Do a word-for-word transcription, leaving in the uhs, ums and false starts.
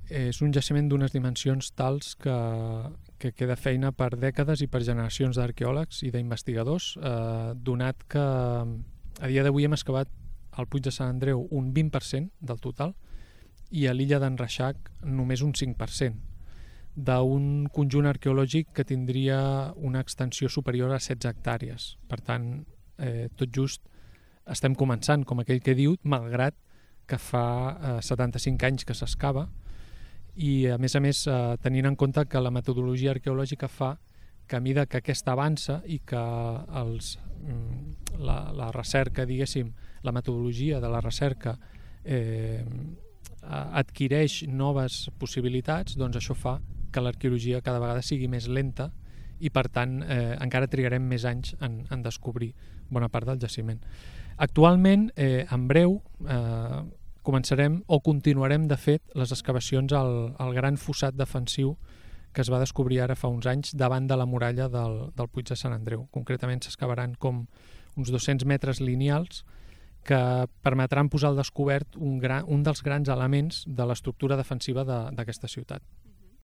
és un jaciment d'unes dimensions tals que, que queda feina per dècades i per generacions d'arqueòlegs i d'investigadors, eh, donat que a dia d'avui hem excavat al Puig de Sant Andreu un vint per cent del total i a l'illa d'en Reixac només un cinc per cent d'un conjunt arqueològic que tindria una extensió superior a setze hectàrees. Per tant, eh, tot just estem començant, com aquell que diu, malgrat que fa eh, setanta-cinc anys que s'excava i, a més a més, eh, tenint en compte que la metodologia arqueològica fa que a mida que aquesta avança i que els, la, la recerca, diguéssim, la metodologia de la recerca eh, adquireix noves possibilitats, doncs això fa que l'arqueologia cada vegada sigui més lenta i, per tant, eh, encara trigarem més anys en, en descobrir bona part del jaciment. Actualment, eh, en breu, eh, començarem o continuarem, de fet, les excavacions al, al gran fossat defensiu que es va descobrir ara fa uns anys davant de la muralla del, del Puig de Sant Andreu. Concretament s'excavaran com uns dos-cents metres lineals que permetran posar al descobert un, gran, un dels grans elements de l'estructura defensiva de, d'aquesta ciutat.